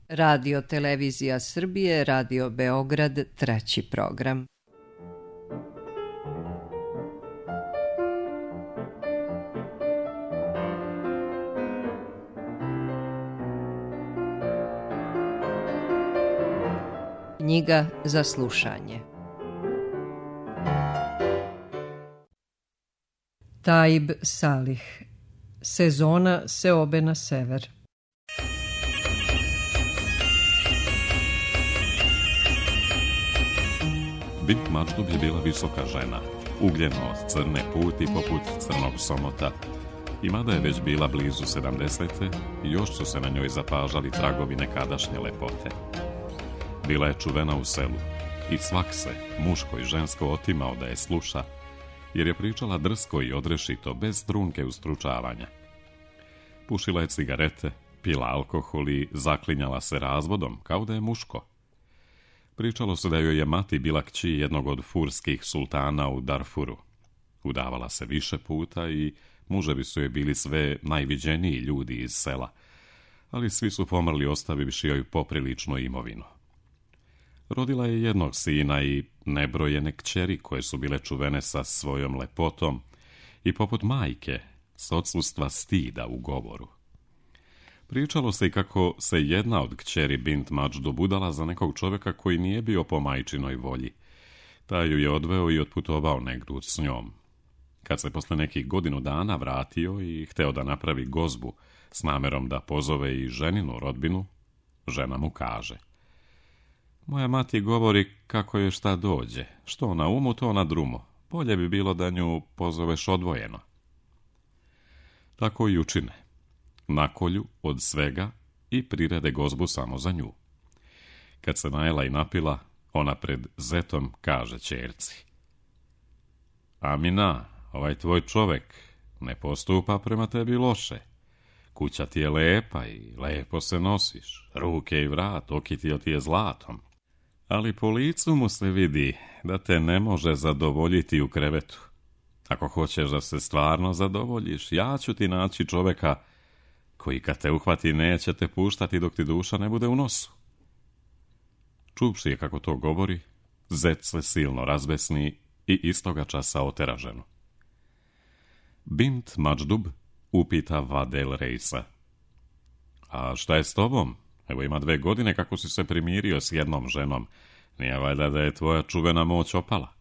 Radio Televizija Srbije, Radio Beograd, treći program. Knjiga za slušanje. Taib Salih. Sezona seobe na sever. Bint Mačdub je bila visoka žena, ugljeno s crne puti poput crnog somota, i mada je već bila blizu 70. još su se na njoj zapažali tragovi nekadašnje lepote. Bila je čuvena u selu i svak se, muško i žensko, otimao da je sluša, jer je pričala drsko i odrešito, bez trunke ustručavanja. Pušila je cigarete, pila alkohol i zaklinjala se razvodom, kao da je muško. Pričalo se da joj je mati bila kći jednog od furskih sultana u Darfuru. Udavala se više puta i muževi su joj bili sve najviđeniji ljudi iz sela, ali svi su pomrli ostavivši joj popriličnu imovinu. Rodila je jednog sina i nebrojene kćeri koje su bile čuvene sa svojom lepotom i poput majke s odsustva stida u govoru. Pričalo se i kako se jedna od kćeri Bint Mačdub udala za nekog čovjeka koji nije bio po majčinoj volji. Taj ju je odveo i otputovao negdje s njom. Kad se posle nekih godinu dana vratio i hteo da napravi gozbu s namerom da pozove i ženinu rodbinu, žena mu kaže: moja mati govori kako je šta dođe, što na umu, to na drumo. Bolje bi bilo da nju pozoveš odvojeno. Tako i učine. Nakolju od svega i prirede gozbu samo za nju. Kad se najela i napila, ona pred zetom kaže ćerci: Amina, ovaj tvoj čovek ne postupa prema tebi loše. Kuća ti je lepa i lepo se nosiš, ruke i vrat okitio ti je zlatom. Ali po licu mu se vidi da te ne može zadovoljiti u krevetu. Ako hoćeš da se stvarno zadovoljiš, ja ću ti naći čoveka koji kad te uhvati neće te puštati dok ti duša ne bude u nosu. Čuvši je kako to govori, zet se silno razbesni i istoga časa otera ženu. Bint Mačdub upita Vadel Reisa: a šta je s tobom? Evo ima 2 godine kako si se primirio s jednom ženom. Nije valjda da je tvoja čuvena moć opala?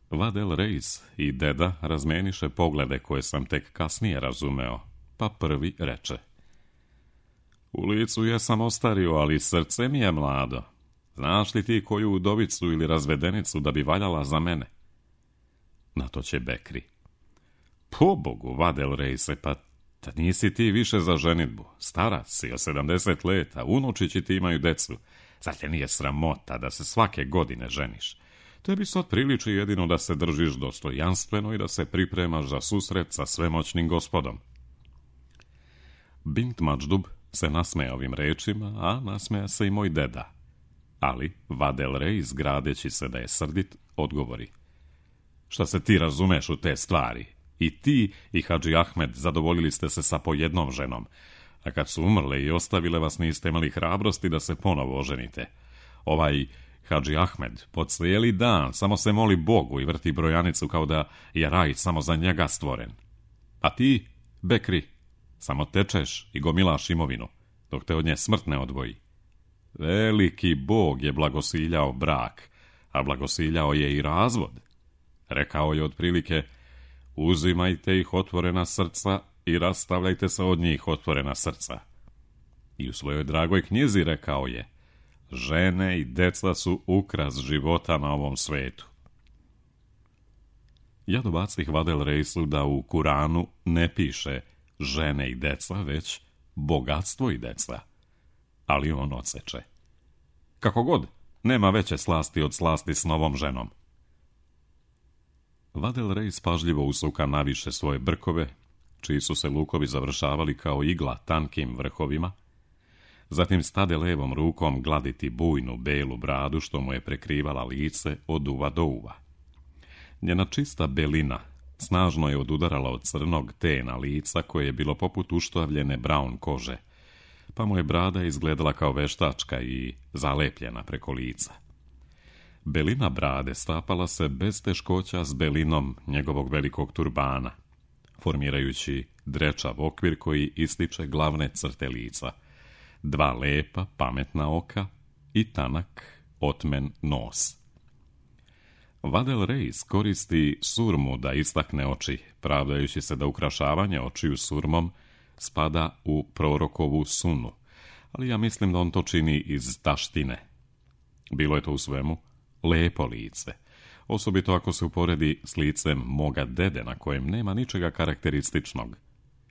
Vadel Reis i deda razmeniše poglede koje sam tek kasnije razumeo, pa prvi reče: u licu jesam ostario, ali srce mi je mlado. Znaš li ti koju udovicu ili razvedenicu da bi valjala za mene? Na to će Bekri: pobogu, Vadel Reise, pa da nisi ti više za ženitbu. Stara si, 70 leta, unučići ti imaju decu. Zar te nije sramota da se svake godine ženiš? Tebi se otpriliči jedino da se držiš dostojanstveno i da se pripremaš za susret sa svemoćnim gospodom. Bint Mačdub se nasmeja ovim rečima, a nasmeja se i moj deda. Ali Vadel Reis, gradeći se da je srdit, odgovori: šta se ti razumeš u te stvari? I ti i Hadži Ahmed zadovoljili ste se sa po jednom ženom, a kad su umrle i ostavile vas niste imali hrabrosti da se ponovo oženite. Ovaj Hadži Ahmed po cijeli dan samo se moli Bogu i vrti brojanicu kao da je raj samo za njega stvoren. A ti, Bekri, samo tečeš i gomilaš imovinu, dok te od nje smrt ne odvoji. Veliki Bog je blagosiljao brak, a blagosiljao je i razvod. Rekao je otprilike: uzimajte ih otvorena srca i rastavljajte se od njih otvorena srca. I u svojoj dragoj knjizi rekao je: žene i deca su ukras života na ovom svetu. Ja dobacih Vadel Reisu da u Kuranu ne piše žene i deca, već bogatstvo i deca. Ali on odseče: kako god, nema veće slasti od slasti s novom ženom. Vadel Reis pažljivo usuka naviše svoje brkove, čiji su se lukovi završavali kao igla tankim vrhovima, zatim stade levom rukom gladiti bujnu belu bradu što mu je prekrivala lice od uva do uva. Njena čista belina snažno je odudarala od crnog tena lica koje je bilo poput uštavljene braun kože, pa mu je brada izgledala kao veštačka i zalepljena preko lica. Belina brade stapala se bez teškoća s belinom njegovog velikog turbana, formirajući drečav okvir koji ističe glavne crte lica, 2 lepa, pametna oka i tanak, otmen nos. Vadel Reis koristi surmu da istakne oči, pravdajući se da ukrašavanje očiju surmom spada u prorokovu sunu, ali ja mislim da on to čini iz taštine. Bilo je to u svemu lepo lice, osobito ako se uporedi s licem moga dede na kojem nema ničega karakterističnog,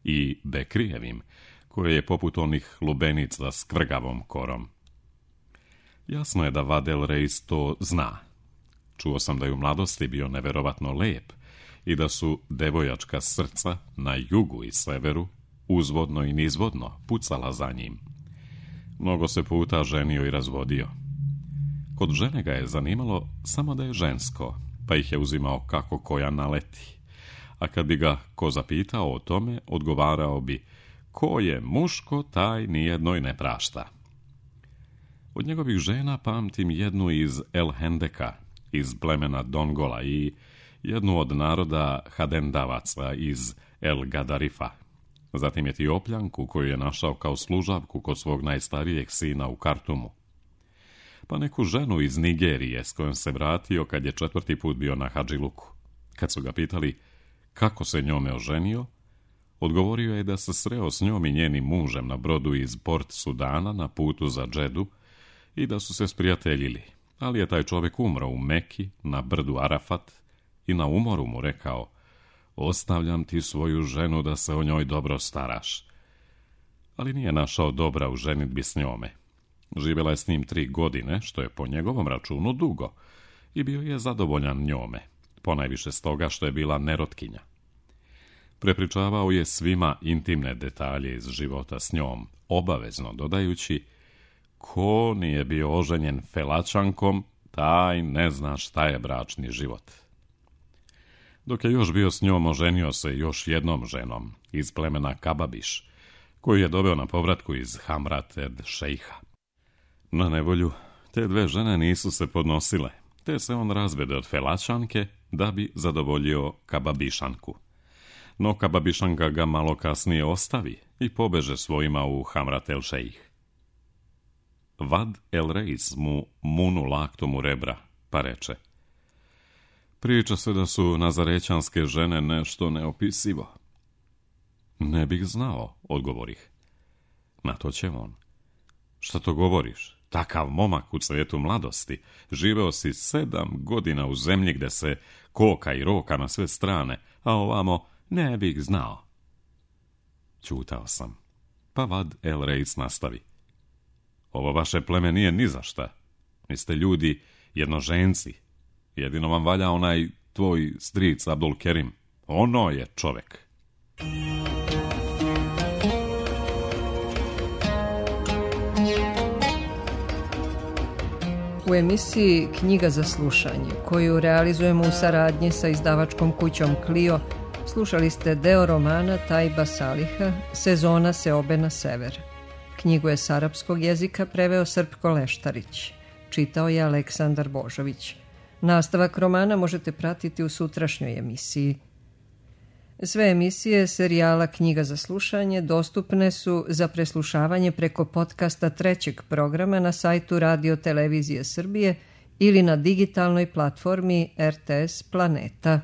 i Bekrijevim, koje je poput onih lubenica s kvrgavom korom. Jasno je da Vadel Reis to zna. Čuo sam da je u mladosti bio neverovatno lep i da su devojačka srca na jugu i severu uzvodno i nizvodno pucala za njim. Mnogo se puta ženio i razvodio. Kod žene ga je zanimalo samo da je žensko, pa ih je uzimao kako koja naleti. A kad bi ga ko zapitao o tome, odgovarao bi: ko je muško, taj nijednoj ne prašta. Od njegovih žena pamtim jednu iz El Hendeka, iz plemena Dongola, i jednu od naroda Hadendavaca iz El Gadarifa. Zatim Etiopljanku koju je našao kao služavku kod svog najstarijeg sina u Kartumu. Pa neku ženu iz Nigerije s kojom se vratio kad je 4. put bio na Hadžiluku. Kad su ga pitali kako se njome oženio, odgovorio je da se sreo s njom i njenim mužem na brodu iz Port Sudana na putu za Džedu i da su se sprijateljili, ali je taj čovjek umro u Meki na brdu Arafat i na umoru mu rekao: ostavljam ti svoju ženu da se o njoj dobro staraš. Ali nije našao dobra u ženidbi s njome. Živjela je s njim 3 godine, što je po njegovom računu dugo, i bio je zadovoljan njome, ponajviše stoga što je bila nerotkinja. Prepričavao je svima intimne detalje iz života s njom, obavezno dodajući: ko nije bio oženjen Felačankom, taj ne zna šta je bračni život. Dok je još bio s njom, oženio se još jednom ženom iz plemena Kababiš, koju je doveo na povratku iz Hamrat ed Šejha. Na nevolju, te 2 žene nisu se podnosile, te se on razvede od Felačanke da bi zadovoljio Kababišanku. No Kababišanka ga malo kasnije ostavi i pobeže svojima u Hamrat el Šejh. Vad el Reis mu munu laktom u rebra, pa reče: priča se da su nazarećanske žene nešto neopisivo. Ne bih znao, odgovorih. Na to će on: šta to govoriš? Takav momak u cvetu mladosti, živeo si 7 godina u zemlji gde se koka i roka na sve strane, a ovamo ne bih znao. Ćutao sam, pa Vad el Reis nastavi: ovo vaše pleme nije ni za šta. Vi ste ljudi jednoženci. Jedino vam valja onaj tvoj stric Abdul Kerim. Ono je čovek. U emisiji Knjiga za slušanje, koju realizujemo u saradnji sa izdavačkom kućom Clio, slušali ste deo romana Tajba Saliha Sezona seobe na sever. Knjigu je s arapskog jezika preveo Srpko Leštarić. Čitao je Aleksandar Božović. Nastavak romana možete pratiti u sutrašnjoj emisiji. Sve emisije serijala Knjiga za slušanje dostupne su za preslušavanje preko podcasta 3. programa na sajtu Radio Televizije Srbije ili na digitalnoj platformi RTS Planeta.